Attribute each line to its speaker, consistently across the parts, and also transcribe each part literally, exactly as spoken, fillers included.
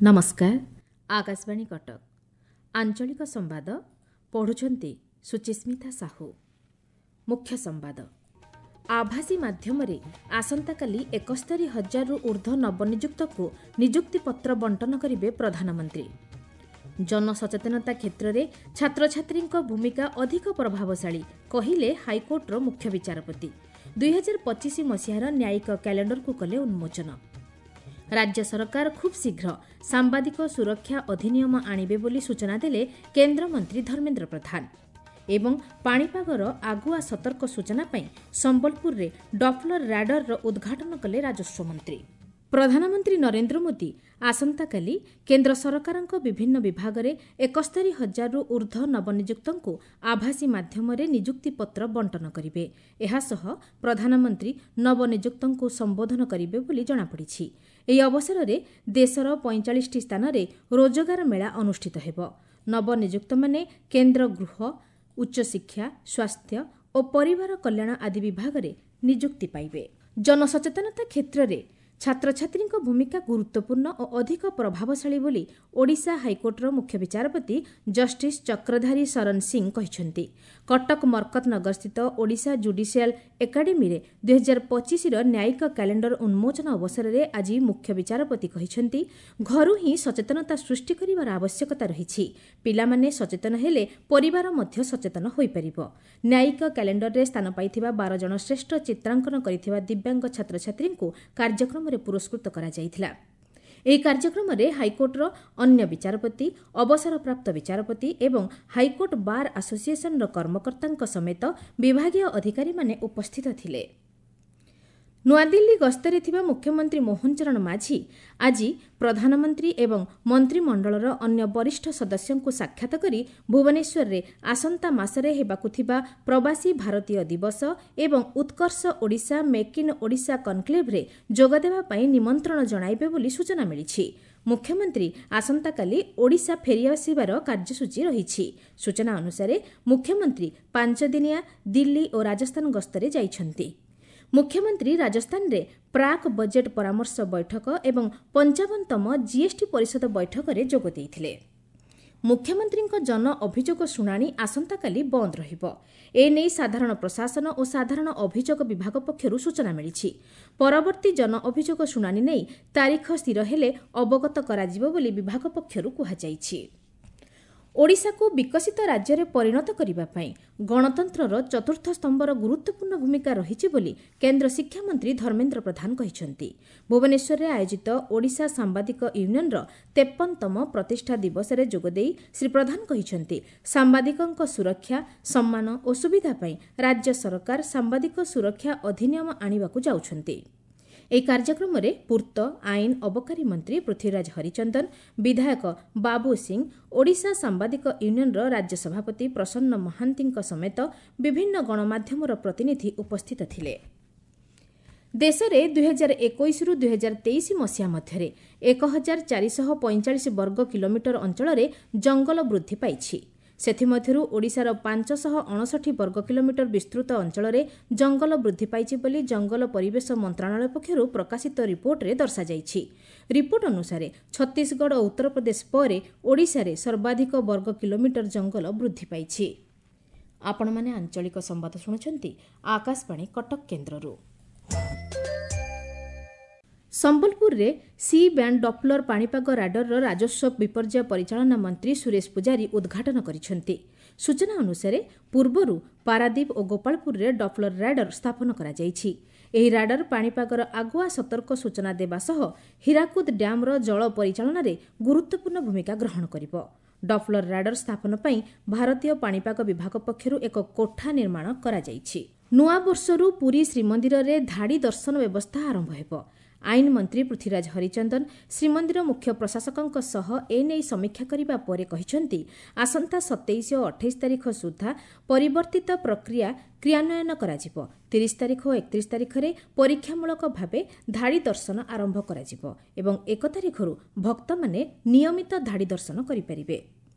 Speaker 1: ନମସ୍କାର ଆକାଶବାଣୀ କଟକ ଆଞ୍ଚଳିକ ସମ୍ବାଦ ପଢୁଛନ୍ତି ସୁଚିସ୍ମିତା ସାହୁ ମୁଖ୍ୟ ସମ୍ବାଦ ଆଭାସୀ ମାଧ୍ୟମରେ ଆସନ୍ତାକାଲି ଏକସ୍ତରୀ ହଜାରରୁ ଊର୍ଦ୍ଧ୍ୱ ନବନିଯୁକ୍ତକୁ ନିଯୁକ୍ତିପତ୍ର ବଣ୍ଟନ କରିବେ ପ୍ରଧାନମନ୍ତ୍ରୀ ଜନସଚେତନତା କ୍ଷେତ୍ରରେ ଛାତ୍ରଛାତ୍ରୀଙ୍କ ଭୂମିକା ଅଧିକ ପ୍ରଭାବଶାଳୀ କହିଲେ ହାଇକୋର୍ଟର ମୁଖ୍ୟ ବିଚାରପତି ଦୁଇହଜାର ପଚିଶ ମସିହାର ନ୍ୟାୟିକ କ୍ୟାଲେଣ୍ଡରକୁ କଲେ ଉନ୍ମୋଚନ ରାଜ୍ୟ ସରକାର ଖୁବ୍ ଶୀଘ୍ର ସାମ୍ବାଦିକ ସୁରକ୍ଷା ଅଧିନିୟମ ଆଣିବେ ବୋଲି ସୂଚନା ଦେଲେ କେନ୍ଦ୍ରମନ୍ତ୍ରୀ ଧର୍ମେନ୍ଦ୍ର ପ୍ରଧାନ ଏବଂ ପାଣିପାଗର ଆଗୁଆ ସତର୍କ ସୂଚନା ପାଇଁ ସମ୍ବଲପୁରରେ ଡପ୍ଲର ରାଡାରର ଉଦ୍ଘାଟନ କଲେ ରାଜସ୍ୱ ମନ୍ତ୍ରୀ ପ୍ରଧାନମନ୍ତ୍ରୀ ନରେନ୍ଦ୍ର ମୋଦି ଆସନ୍ତାକାଲି କେନ୍ଦ୍ର ସରକାରଙ୍କ ବିଭିନ୍ନ ବିଭାଗରେ ଏକସ୍ତରୀ ହଜାରରୁ ଊର୍ଦ୍ଧ୍ୱ ନବନିଯୁକ୍ତଙ୍କୁ ଆଭାସୀ ମାଧ୍ୟମରେ ନିଯୁକ୍ତିପତ୍ର ବଣ୍ଟନ କରିବେ ଏହାସହ ପ୍ରଧାନମନ୍ତ୍ରୀ ନବନିଯୁକ୍ତଙ୍କୁ ସମ୍ବୋଧନ କରିବେ ବୋଲି ଜଣାପଡ଼ିଛି ଏହି ଅବସରରେ ଦେଶର ପଇଁଚାଳିଶଟି ସ୍ଥାନରେ ରୋଜଗାର ମେଳା ଅନୁଷ୍ଠିତ ହେବ ନବନିଯୁକ୍ତମାନେ କେନ୍ଦ୍ର ଗୃହ ଉଚ୍ଚଶିକ୍ଷା ସ୍ୱାସ୍ଥ୍ୟ ଓ ପରିବାର କଲ୍ୟାଣ ଆଦି ବିଭାଗରେ ନିଯୁକ୍ତି ପାଇବେ ଜନସଚେତନତା କ୍ଷେତ୍ରରେ ଛାତ୍ରଛାତ୍ରୀଙ୍କ ଭୂମିକା ଗୁରୁତ୍ୱପୂର୍ଣ୍ଣ ଓ ଅଧିକ ପ୍ରଭାବଶାଳୀ ବୋଲି ଓଡ଼ିଶା ହାଇକୋର୍ଟର ମୁଖ୍ୟ ବିଚାରପତି ଜଷ୍ଟିସ୍ ଚକ୍ରଧାରୀ ଶରଣ ସିଂ କହିଛନ୍ତି କଟକ ମର୍କତନଗରସ୍ଥିତ ଓଡ଼ିଶା ଜୁଡିସିଆଲ ଏକାଡେମୀରେ ଦୁଇହଜାର ପଚିଶର ନ୍ୟାୟିକ କ୍ୟାଲେଣ୍ଡର ଉନ୍ମୋଚନ ଅବସରରେ ଆଜି ମୁଖ୍ୟ ବିଚାରପତି କହିଛନ୍ତି ଘରୁ ହିଁ ସଚେତନତା ସୃଷ୍ଟି କରିବାର ଆବଶ୍ୟକତା ରହିଛି ପିଲାମାନେ ସଚେତନ ହେଲେ ପରିବାର ମଧ୍ୟ ସଚେତନ ହୋଇପାରିବ ନ୍ୟାୟିକ କ୍ୟାଲେଣ୍ଡରରେ ସ୍ଥାନ ପାଇଥିବା ବାର ଜଣ ଶ୍ରେଷ୍ଠ ଚିତ୍ରାଙ୍କନ କରିଥିବା ଦିବ୍ୟାଙ୍ଗ ଛାତ୍ରଛାତ୍ରୀଙ୍କୁ କାର୍ଯ୍ୟକ୍ରମରେ ପୁରସ୍କୃତ କରାଯାଇଥିଲା ଏହି କାର୍ଯ୍ୟକ୍ରମରେ ହାଇକୋର୍ଟର ଅନ୍ୟ ବିଚାରପତି ଅବସରପ୍ରାପ୍ତ ବିଚାରପତି ଏବଂ ହାଇକୋର୍ଟ ବାର୍ ଆସୋସିଏସନର କର୍ମକର୍ତ୍ତାଙ୍କ ସମେତ ବିଭାଗୀୟ ଅଧିକାରୀମାନେ ଉପସ୍ଥିତ ଥିଲେ ନୂଆଦିଲ୍ଲୀ ଗସ୍ତରେ ଥିବା ମୁଖ୍ୟମନ୍ତ୍ରୀ ମୋହନ ଚରଣ ମାଝୀ ଆଜି ପ୍ରଧାନମନ୍ତ୍ରୀ ଏବଂ ମନ୍ତ୍ରିମଣ୍ଡଳର ଅନ୍ୟ ବରିଷ୍ଠ ସଦସ୍ୟଙ୍କୁ ସାକ୍ଷାତ କରି ଭୁବନେଶ୍ୱରରେ ଆସନ୍ତା ମାସରେ ହେବାକୁ ଥିବା ପ୍ରବାସୀ ଭାରତୀୟ ଦିବସ ଏବଂ ଉତ୍କର୍ଷ ଓଡ଼ିଶା ମେକ୍ ଇନ୍ ଓଡ଼ିଶା କନ୍କ୍ଲେଭରେ ଯୋଗଦେବା ପାଇଁ ନିମନ୍ତ୍ରଣ ଜଣାଇବେ ବୋଲି ସୂଚନା ମିଳିଛି ମୁଖ୍ୟମନ୍ତ୍ରୀ ଆସନ୍ତାକାଲି ଓଡ଼ିଶା ଫେରିଆସିବାର କାର୍ଯ୍ୟସୂଚୀ ରହିଛି ସୂଚନା ଅନୁସାରେ ମୁଖ୍ୟମନ୍ତ୍ରୀ ପାଞ୍ଚଦିନିଆ ଦିଲ୍ଲୀ ଓ ରାଜସ୍ଥାନ ଗସ୍ତରେ ଯାଇଛନ୍ତି ମୁଖ୍ୟମନ୍ତ୍ରୀ ରାଜସ୍ଥାନରେ ପ୍ରାକ୍ ବଜେଟ୍ ପରାମର୍ଶ ବୈଠକ ଏବଂ ପଞ୍ଚାବନତମ ଜିଏସ୍ଟି ପରିଷଦ ବୈଠକରେ ଯୋଗ ଦେଇଥିଲେ ମୁଖ୍ୟମନ୍ତ୍ରୀଙ୍କ ଜନ ଅଭିଯୋଗ ଶୁଣାଣି ଆସନ୍ତାକାଲି ବନ୍ଦ ରହିବ ଏନେଇ ସାଧାରଣ ପ୍ରଶାସନ ଓ ସାଧାରଣ ଅଭିଯୋଗ ବିଭାଗ ପକ୍ଷରୁ ସୂଚନା ମିଳିଛି ପରବର୍ତ୍ତୀ ଜନ ଅଭିଯୋଗ ଶୁଣାଣି ନେଇ ତାରିଖ ସ୍ଥିର ହେଲେ ଅବଗତ କରାଯିବ ବୋଲି ବିଭାଗ ପକ୍ଷରୁ କୁହାଯାଇଛି ଓଡ଼ିଶାକୁ ବିକଶିତ ରାଜ୍ୟରେ ପରିଣତ କରିବା ପାଇଁ ଗଣତନ୍ତ୍ରର ଚତୁର୍ଥ ସ୍ତମ୍ଭର ଗୁରୁତ୍ୱପୂର୍ଣ୍ଣ ଭୂମିକା ରହିଛି ବୋଲି କେନ୍ଦ୍ର ଶିକ୍ଷାମନ୍ତ୍ରୀ ଧର୍ମେନ୍ଦ୍ର ପ୍ରଧାନ କହିଛନ୍ତି ଭୁବନେଶ୍ୱରରେ ଆୟୋଜିତ ଓଡ଼ିଶା ସାମ୍ବାଦିକ ୟୁନିୟନର ତେପନତମ ପ୍ରତିଷ୍ଠା ଦିବସରେ ଯୋଗଦେଇ ଶ୍ରୀ ପ୍ରଧାନ କହିଛନ୍ତି ସାମ୍ବାଦିକଙ୍କ ସୁରକ୍ଷା ସମ୍ମାନ ଓ ସୁବିଧା ପାଇଁ ରାଜ୍ୟ ସରକାର ସାମ୍ବାଦିକ ସୁରକ୍ଷା ଅଧିନିୟମ ଆଣିବାକୁ ଯାଉଛନ୍ତି ଏହି କାର୍ଯ୍ୟକ୍ରମରେ ପୂର୍ତ୍ତ ଆଇନ ଅବକାରୀ ମନ୍ତ୍ରୀ ପୃଥ୍ୱୀରାଜ ହରିଚନ୍ଦନ ବିଧାୟକ ବାବୁ ସିଂ ଓଡ଼ିଶା ସାମ୍ବାଦିକ ୟୁନିୟନର ରାଜ୍ୟ ସଭାପତି ପ୍ରସନ୍ନ ମହାନ୍ତିଙ୍କ ସମେତ ବିଭିନ୍ନ ଗଣମାଧ୍ୟମର ପ୍ରତିନିଧି ଉପସ୍ଥିତ ଥିଲେ ଦେଶରେ ଦୁଇହଜାର ଏକୋଇଶରୁ ଦୁଇହଜାର ତେଇଶ ମସିହା ମଧ୍ୟରେ ଏକ ହଜାର ଚାରିଶହ ପଇଁଚାଳିଶ ବର୍ଗ କିଲୋମିଟର ଅଞ୍ଚଳରେ ଜଙ୍ଗଲ ବୃଦ୍ଧି ପାଇଛି ସେଥିମଧ୍ୟରୁ ଓଡ଼ିଶାର ପାଞ୍ଚଶହ ଅଣଷଠି ବର୍ଗ କିଲୋମିଟର ବିସ୍ତୃତ ଅଞ୍ଚଳରେ ଜଙ୍ଗଲ ବୃଦ୍ଧି ପାଇଛି ବୋଲି ଜଙ୍ଗଲ ପରିବେଶ ମନ୍ତ୍ରଣାଳୟ ପକ୍ଷରୁ ପ୍ରକାଶିତ ରିପୋର୍ଟରେ ଦର୍ଶାଯାଇଛି ରିପୋର୍ଟ ଅନୁସାରେ ଛତିଶଗଡ଼ ଓ ଉତ୍ତରପ୍ରଦେଶ ପରେ ଓଡ଼ିଶାରେ ସର୍ବାଧିକ ବର୍ଗ କିଲୋମିଟର ଜଙ୍ଗଲ ବୃଦ୍ଧି ପାଇଛି ଆପଣମାନେ ଆଞ୍ଚଳିକ ସମ୍ବାଦ ଶୁଣୁଛନ୍ତି ଆକାଶବାଣୀ କଟକ କେନ୍ଦ୍ରରୁ ସମ୍ବଲପୁରରେ ସି ବ୍ୟାଣ୍ଡ ଡପ୍ଲର ପାଣିପାଗ ରାଡାରର ରାଜସ୍ୱ ବିପର୍ଯ୍ୟୟ ପରିଚାଳନା ମନ୍ତ୍ରୀ ସୁରେଶ ପୂଜାରୀ ଉଦ୍ଘାଟନ କରିଛନ୍ତି ସୂଚନା ଅନୁସାରେ ପୂର୍ବରୁ ପାରାଦୀପ ଓ ଗୋପାଳପୁରରେ ଡପ୍ଲର ରାଡାର ସ୍ଥାପନ କରାଯାଇଛି ଏହି ରାଡାର ପାଣିପାଗର ଆଗୁଆ ସତର୍କ ସୂଚନା ଦେବା ସହ ହୀରାକୁଦ ଡ୍ୟାମ୍ର ଜଳ ପରିଚାଳନାରେ ଗୁରୁତ୍ୱପୂର୍ଣ୍ଣ ଭୂମିକା ଗ୍ରହଣ କରିବ ଡପ୍ଲର ରାଡାର ସ୍ଥାପନ ପାଇଁ ଭାରତୀୟ ପାଣିପାଗ ବିଭାଗ ପକ୍ଷରୁ ଏକ କୋଠା ନିର୍ମାଣ କରାଯାଇଛି ନୂଆବର୍ଷରୁ ପୁରୀ ଶ୍ରୀମନ୍ଦିରରେ ଧାଡ଼ି ଦର୍ଶନ ବ୍ୟବସ୍ଥା ଆରମ୍ଭ ହେବ ଆଇନ ମନ୍ତ୍ରୀ ପୃଥ୍ୱୀରାଜ ହରିଚନ୍ଦନ ଶ୍ରୀମନ୍ଦିର ମୁଖ୍ୟ ପ୍ରଶାସକଙ୍କ ସହ ଏନେଇ ସମୀକ୍ଷା କରିବା ପରେ କହିଛନ୍ତି ଆସନ୍ତା ସତେଇଶ ଓ ଅଠେଇଶ ତାରିଖ ସୁଦ୍ଧା ପରିବର୍ତ୍ତିତ ପ୍ରକ୍ରିୟା କ୍ରିୟାନ୍ୱୟନ କରାଯିବ ତିରିଶ ତାରିଖ ଓ ଏକତିରିଶ ତାରିଖରେ ପରୀକ୍ଷାମୂଳକ ଭାବେ ଧାଡ଼ି ଦର୍ଶନ ଆରମ୍ଭ କରାଯିବ ଏବଂ ଏକ ତାରିଖରୁ ଭକ୍ତମାନେ ନିୟମିତ ଧାଡ଼ି ଦର୍ଶନ କରିପାରିବେ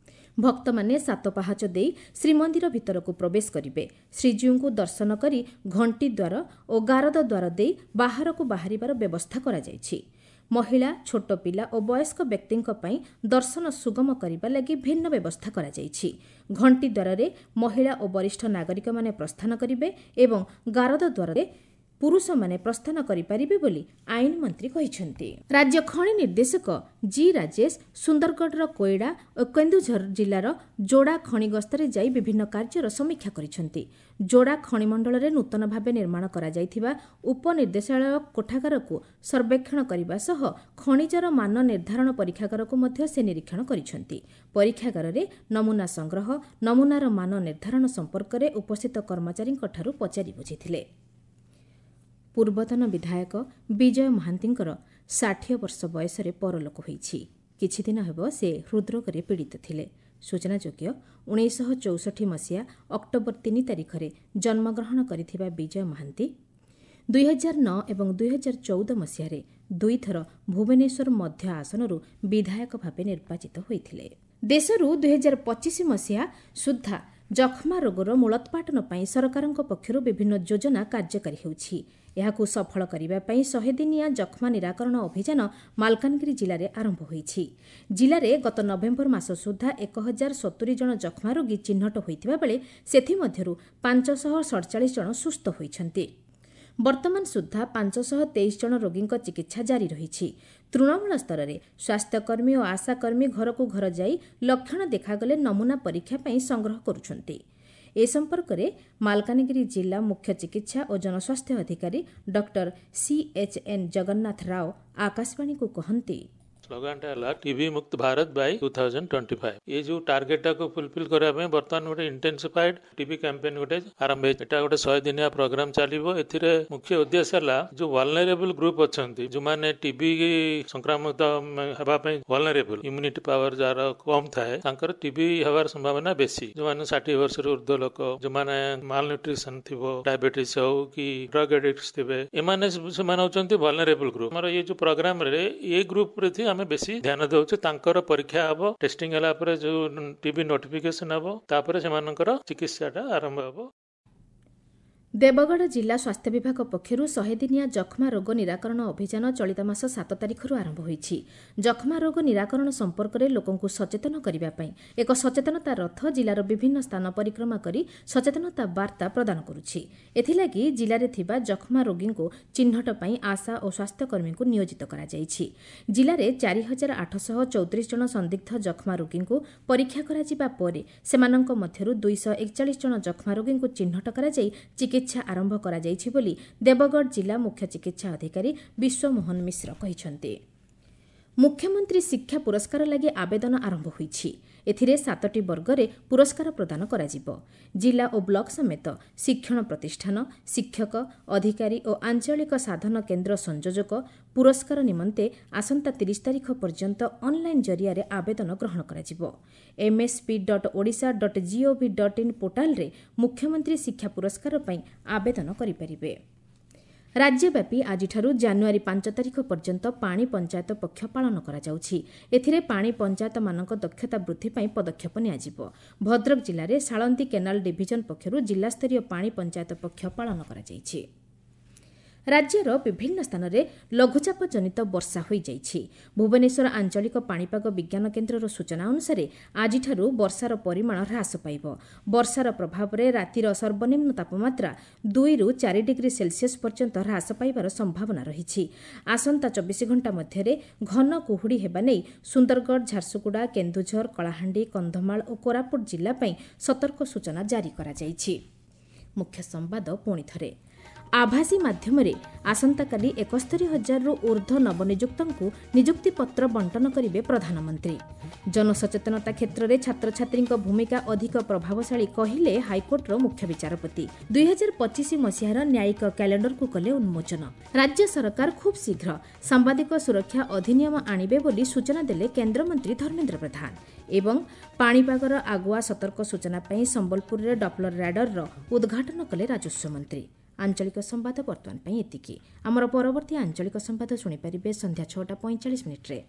Speaker 1: ଭକ୍ତମାନେ ସାତ ପାହାଚ ଦେଇ ଶ୍ରୀମନ୍ଦିର ଭିତରକୁ ପ୍ରବେଶ କରିବେ ଶ୍ରୀଜୀଉଙ୍କୁ ଦର୍ଶନ କରି ଘଣ୍ଟି ଦ୍ୱାର ଓ ଗାରଦ ଦ୍ୱାର ଦେଇ ବାହାରକୁ ବାହାରିବାର ବ୍ୟବସ୍ଥା କରାଯାଇଛି ମହିଳା, ଛୋଟ ପିଲା ଓ ବୟସ୍କ ବ୍ୟକ୍ତିଙ୍କ ପାଇଁ ଦର୍ଶନ ସୁଗମ କରିବା ଲାଗି ଭିନ୍ନ ବ୍ୟବସ୍ଥା କରାଯାଇଛି। ଘଣ୍ଟି ଦ୍ୱାରରେ ମହିଳା ଓ ବରିଷ୍ଠ ନାଗରିକମାନେ ପ୍ରସ୍ଥାନ କରିବେ ଏବଂ ଗାରଦ ଦ୍ୱାରରେ ପୁରୁଷମାନେ ପ୍ରସ୍ଥାନ କରିପାରିବେ ବୋଲି ଆଇନ ମନ୍ତ୍ରୀ କହିଛନ୍ତି। ରାଜ୍ୟ ଖଣି ନିର୍ଦ୍ଦେଶକ ଜି ରାଜେଶ ସୁନ୍ଦରଗଡ଼ର କୋଇଡ଼ା ଓ କେନ୍ଦୁଝର ଜିଲ୍ଲାର ଯୋଡ଼ା ଖଣି ଗସ୍ତରେ ଯାଇ ବିଭିନ୍ନ କାର୍ଯ୍ୟର ସମୀକ୍ଷା କରିଛନ୍ତି। ଯୋଡ଼ା ଖଣିମଣ୍ଡଳରେ ନୂତନ ଭାବେ ନିର୍ମାଣ କରାଯାଇଥିବା ଉପନିର୍ଦ୍ଦେଶାଳୟ କୋଠାଗାରକୁ ସର୍ବେକ୍ଷଣ କରିବା ସହ ଖଣିଜର ମାନ ନିର୍ଦ୍ଧାରଣ ପରୀକ୍ଷାଗାରକୁ ମଧ୍ୟ ସେ ନିରୀକ୍ଷଣ କରିଛନ୍ତି। ପରୀକ୍ଷାଗାରରେ ନମୁନା ସଂଗ୍ରହ, ନମୁନାର ମାନ ନିର୍ଦ୍ଧାରଣ ସମ୍ପର୍କରେ ଉପସ୍ଥିତ କର୍ମଚାରୀଙ୍କଠାରୁ ପଚାରି ବୁଝିଥିଲେ। ପୂର୍ବତନ ବିଧାୟକ ବିଜୟ ମହାନ୍ତିଙ୍କର ଷାଠିଏ ବର୍ଷ ବୟସରେ ପରଲୋକ ହୋଇଛି। କିଛିଦିନ ହେବ ସେ ହୃଦ୍ରୋଗରେ ପୀଡ଼ିତ ଥିଲେ। ସୂଚନାଯୋଗ୍ୟ, ଉଣେଇଶହ ଚଉଷଠି ମସିହା ଅକ୍ଟୋବର ତିନି ତାରିଖରେ ଜନ୍ମଗ୍ରହଣ କରିଥିବା ବିଜୟ ମହାନ୍ତି ଦୁଇହଜାର ନଅ ଏବଂ ଦୁଇହଜାର ଚଉଦ ମସିହାରେ ଦୁଇଥର ଭୁବନେଶ୍ୱର ମଧ୍ୟ ଆସନରୁ ବିଧାୟକ ଭାବେ ନିର୍ବାଚିତ ହୋଇଥିଲେ। ଦେଶରୁ ଦୁଇହଜାର ପଚିଶ ମସିହା ସୁଦ୍ଧା ଯକ୍ଷ୍ମା ରୋଗର ମୂଳୋତ୍ପାଟନ ପାଇଁ ସରକାରଙ୍କ ପକ୍ଷରୁ ବିଭିନ୍ନ ଯୋଜନା କାର୍ଯ୍ୟକାରୀ ହେଉଛି। ଏହାକୁ ସଫଳ କରିବା ପାଇଁ ଶହେ ଦିନିଆ ଯକ୍ଷ୍ମା ନିରାକରଣ ଅଭିଯାନ ମାଲକାନଗିରି ଜିଲ୍ଲାରେ ଆରମ୍ଭ ହୋଇଛି। ଜିଲ୍ଲାରେ ଗତ ନଭେମ୍ବର ମାସ ସୁଦ୍ଧା ଏକ ହଜାର ସତୁରି ଜଣ ଯକ୍ଷ୍ମା ରୋଗୀ ଚିହ୍ନଟ ହୋଇଥିବା ବେଳେ ସେଥିମଧ୍ୟରୁ ପାଞ୍ଚଶହ ସଡ଼ଚାଳିଶ ଜଣ ସୁସ୍ଥ ହୋଇଛନ୍ତି। ବର୍ତ୍ତମାନ ସୁଦ୍ଧା ପାଞ୍ଚଶହ ତେଇଶ ଜଣ ରୋଗୀଙ୍କ ଚିକିତ୍ସା ଜାରି ରହିଛି। ତୃଣମୂଳ ସ୍ତରରେ ସ୍ୱାସ୍ଥ୍ୟକର୍ମୀ ଓ ଆଶାକର୍ମୀ ଘରକୁ ଘର ଯାଇ ଲକ୍ଷଣ ଦେଖାଗଲେ ନମୁନା ପରୀକ୍ଷା ପାଇଁ ସଂଗ୍ରହ କରୁଛନ୍ତି। ଏ ସମ୍ପର୍କରେ ମାଲକାନଗିରି ଜିଲ୍ଲା ମୁଖ୍ୟ ଚିକିତ୍ସା ଓ ଜନସ୍ୱାସ୍ଥ୍ୟ ଅଧିକାରୀ ଡକ୍ଟର ସିଏଚ୍ଏନ୍ ଜଗନ୍ନାଥ ରାଓ ଆକାଶବାଣୀକୁ କହନ୍ତି,
Speaker 2: ସ୍ଲୋଗାନଟା ହେଲା ଟିବି ମୁକ୍ତ Bharat by two thousand twenty five. ଏ ଯୋଉ ଟାର୍ଗେଟଟାକୁ ଫୁଲଫିଲ୍ କରିବା ପାଇଁ ବର୍ତ୍ତମାନ ଗୋଟେ ଇଣ୍ଟେନ୍ସିଫାଇଡ୍ ଟିବି କ୍ୟାମ୍ପେନ୍ ଗୋଟେ ଆରମ୍ଭ ହେଇଛି। ଏଟା ଗୋଟେ ଶହେ ଦିନିଆ ପ୍ରୋଗ୍ରାମ ଚାଲିବ। ଏଥିରେ ମୁଖ୍ୟ ଉଦ୍ଦେଶ୍ୟ ହେଲା ଯୋଉ ଭଲନେରେବଲ ଗ୍ରୁପ ଅଛନ୍ତି, ଯୋଉମାନେ ଟିବି ସଂକ୍ରମିତ ହେବା ପାଇଁ ଭଲନେରେବଲ, ଇମ୍ୟୁନିଟି ପାୱାର ଯାହାର କମ୍ ଥାଏ, ତାଙ୍କର ଟିବି ହେବାର ସମ୍ଭାବନା ବେଶୀ। ଯୋଉମାନେ ଷାଠିଏ ବର୍ଷରୁ ଉର୍ଦ୍ଧ୍ୱ ଲୋକ, ଯୋଉମାନେ ମାଲନ୍ୟୁଟ୍ରିସନ ଥିବ, ଡାଇବେଟିସ୍ ହଉ କି ଡ୍ରଗ ଆଡିକ୍ଟ ଥିବେ, ଏମାନେ ସେମାନେ ହଉଛନ୍ତି ଭଲନେରେବଲ ଗ୍ରୁପ। ଆମର ଏଇ ଯୋଉ ପ୍ରୋଗ୍ରାମରେ ଏ ଗ୍ରୁପ ପ୍ରତି ଆମେ ବେଶୀ ଧ୍ୟାନ ଦଉଛୁ। ତାଙ୍କର ପରୀକ୍ଷା ହବ, ଟେଷ୍ଟିଂ ହେଲା ପରେ ଯୋଉ ଟିବି ନୋଟିଫିକେସନ ହବ, ତାପରେ ସେମାନଙ୍କର ଚିକିତ୍ସାଟା ଆରମ୍ଭ ହବ।
Speaker 1: ଦେବଗଡ଼ ଜିଲ୍ଲା ସ୍ୱାସ୍ଥ୍ୟ ବିଭାଗ ପକ୍ଷରୁ ଶହେ ଦିନିଆ ଯକ୍ଷ୍ମା ରୋଗ ନିରାକରଣ ଅଭିଯାନ ଚଳିତ ମାସ ସାତ ତାରିଖରୁ ଆରମ୍ଭ ହୋଇଛି। ଯକ୍ଷ୍ମା ରୋଗ ନିରାକରଣ ସମ୍ପର୍କରେ ଲୋକଙ୍କୁ ସଚେତନ କରିବା ପାଇଁ ଏକ ସଚେତନତା ରଥ ଜିଲ୍ଲାର ବିଭିନ୍ନ ସ୍ଥାନ ପରିକ୍ରମା କରି ସଚେତନତା ବାର୍ତ୍ତା ପ୍ରଦାନ କରୁଛି। ଏଥିଲାଗି ଜିଲ୍ଲାରେ ଥିବା ଯକ୍ଷ୍ମା ରୋଗୀଙ୍କୁ ଚିହ୍ନଟ ପାଇଁ ଆଶା ଓ ସ୍ୱାସ୍ଥ୍ୟକର୍ମୀଙ୍କୁ ନିୟୋଜିତ କରାଯାଇଛି। ଜିଲ୍ଲାରେ ଚାରି ହଜାର ଆଠଶହ ଚଉତିରିଶ ଜଣ ସନ୍ଦିଗ୍ଧ ଯକ୍ଷ୍ମା ରୋଗୀଙ୍କୁ ପରୀକ୍ଷା କରାଯିବା ପରେ ସେମାନଙ୍କ ମଧ୍ୟରୁ ଦୁଇଶହ ଏକଚାଳିଶ ଜଣ ଯକ୍ଷ୍ମା ରୋଗୀଙ୍କୁ ଚିହ୍ନଟ କରାଯାଇ ଚିକିତ୍ସା ଆରମ୍ଭ କରାଯାଇଛି ବୋଲି ଦେବଗଡ଼ ଜିଲ୍ଲା ମୁଖ୍ୟ ଚିକିତ୍ସା ଅଧିକାରୀ ବିଶ୍ୱମୋହନ ମିଶ୍ର କହିଛନ୍ତି। ମୁଖ୍ୟମନ୍ତ୍ରୀ ଶିକ୍ଷା ପୁରସ୍କାର ଲାଗି ଆବେଦନ ଆରମ୍ଭ ହୋଇଛି। ଏଥିରେ ସାତଟି ବର୍ଗରେ ପୁରସ୍କାର ପ୍ରଦାନ କରାଯିବ। ଜିଲ୍ଲା ଓ ବ୍ଲକ ସମେତ ଶିକ୍ଷଣ ପ୍ରତିଷ୍ଠାନ, ଶିକ୍ଷକ, ଅଧିକାରୀ ଓ ଆଞ୍ଚଳିକ ସାଧନ କେନ୍ଦ୍ର ସଂଯୋଜକ ପୁରସ୍କାର ନିମନ୍ତେ ଆସନ୍ତା ତିରିଶ ତାରିଖ ପର୍ଯ୍ୟନ୍ତ ଅନ୍ଲାଇନ୍ ଜରିଆରେ ଆବେଦନ ଗ୍ରହଣ କରାଯିବ। MSP dot Odisha dot GOV dot in ପୋର୍ଟାଲରେ ମୁଖ୍ୟମନ୍ତ୍ରୀ ଶିକ୍ଷା ପୁରସ୍କାର ପାଇଁ ଆବେଦନ କରିପାରିବେ। ରାଜ୍ୟବ୍ୟାପୀ ଆଜିଠାରୁ ଜାନୁଆରୀ ପାଞ୍ଚ ତାରିଖ ପର୍ଯ୍ୟନ୍ତ ପାଣି ପଞ୍ଚାୟତ ପକ୍ଷ ପାଳନ କରାଯାଉଛି। ଏଥିରେ ପାଣି ପଞ୍ଚାୟତମାନଙ୍କ ଦକ୍ଷତା ବୃଦ୍ଧି ପାଇଁ ପଦକ୍ଷେପ ନିଆଯିବ। ଭଦ୍ରକ ଜିଲ୍ଲାରେ ସାଳନ୍ଦୀ କେନାଲ ଡିଭିଜନ ପକ୍ଷରୁ ଜିଲ୍ଲାସ୍ତରୀୟ ପାଣି ପଞ୍ଚାୟତ ପକ୍ଷ ପାଳନ କରାଯାଇଛି। ରାଜ୍ୟର ବିଭିନ୍ନ ସ୍ଥାନରେ ଲଘୁଚାପ ଜନିତ ବର୍ଷା ହୋଇଯାଇଛି। ଭୁବନେଶ୍ୱର ଆଞ୍ଚଳିକ ପାଣିପାଗ ବିଜ୍ଞାନ କେନ୍ଦ୍ରର ସୂଚନା ଅନୁସାରେ ଆଜିଠାରୁ ବର୍ଷାର ପରିମାଣ ହ୍ରାସ ପାଇବ। ବର୍ଷାର ପ୍ରଭାବରେ ରାତିର ସର୍ବନିମ୍ନ ତାପମାତ୍ରା ଦୁଇରୁ ଚାରି ଡିଗ୍ରୀ ସେଲସିୟସ୍ ପର୍ଯ୍ୟନ୍ତ ହ୍ରାସ ପାଇବାର ସମ୍ଭାବନା ରହିଛି। ଆସନ୍ତା ଚବିଶ ଘଣ୍ଟା ମଧ୍ୟରେ ଘନ କୁହୁଡ଼ି ହେବା ନେଇ ସୁନ୍ଦରଗଡ଼, ଝାରସୁଗୁଡ଼ା, କେନ୍ଦୁଝର, କଳାହାଣ୍ଡି, କନ୍ଧମାଳ ଓ କୋରାପୁଟ ଜିଲ୍ଲା ପାଇଁ ସତର୍କ ସୂଚନା ଜାରି କରାଯାଇଛି। ମୁଖ୍ୟ ସମ୍ବାଦ ପୁଣି ଥରେ। ଆଭାସୀ ମାଧ୍ୟମରେ ଆସନ୍ତାକାଲି ଏକସ୍ତରୀ ହଜାରରୁ ଊର୍ଦ୍ଧ୍ୱ ନବନିଯୁକ୍ତଙ୍କୁ ନିଯୁକ୍ତିପତ୍ର ବଣ୍ଟନ କରିବେ ପ୍ରଧାନମନ୍ତ୍ରୀ। ଜନସଚେତନତା କ୍ଷେତ୍ରରେ ଛାତ୍ରଛାତ୍ରୀଙ୍କ ଭୂମିକା ଅଧିକ ପ୍ରଭାବଶାଳୀ କହିଲେ ହାଇକୋର୍ଟର ମୁଖ୍ୟ ବିଚାରପତି। ଦୁଇହଜାର ପଚିଶ ମସିହାର ନ୍ୟାୟିକ କ୍ୟାଲେଣ୍ଡରକୁ କଲେ ଉନ୍ମୋଚନ। ରାଜ୍ୟ ସରକାର ଖୁବ୍ ଶୀଘ୍ର ସାମ୍ବାଦିକ ସୁରକ୍ଷା ଅଧିନିୟମ ଆଣିବେ ବୋଲି ସୂଚନା ଦେଲେ କେନ୍ଦ୍ରମନ୍ତ୍ରୀ ଧର୍ମେନ୍ଦ୍ର ପ୍ରଧାନ। ଏବଂ ପାଣିପାଗର ଆଗୁଆ ସତର୍କ ସୂଚନା ପାଇଁ ସମ୍ବଲପୁରରେ ଡପ୍ଲର ରାଡରର ଉଦ୍ଘାଟନ କଲେ ରାଜସ୍ୱ ମନ୍ତ୍ରୀ। ଆଞ୍ଚଳିକ ସମ୍ବାଦ ବର୍ତ୍ତମାନ ପାଇଁ ଏତିକି। ଆମର ପରବର୍ତ୍ତୀ ଆଞ୍ଚଳିକ ସମ୍ବାଦ ଶୁଣିପାରିବେ ସନ୍ଧ୍ୟା ଛଅଟା ପଇଁଚାଳିଶ ମିନିଟ୍ରେ।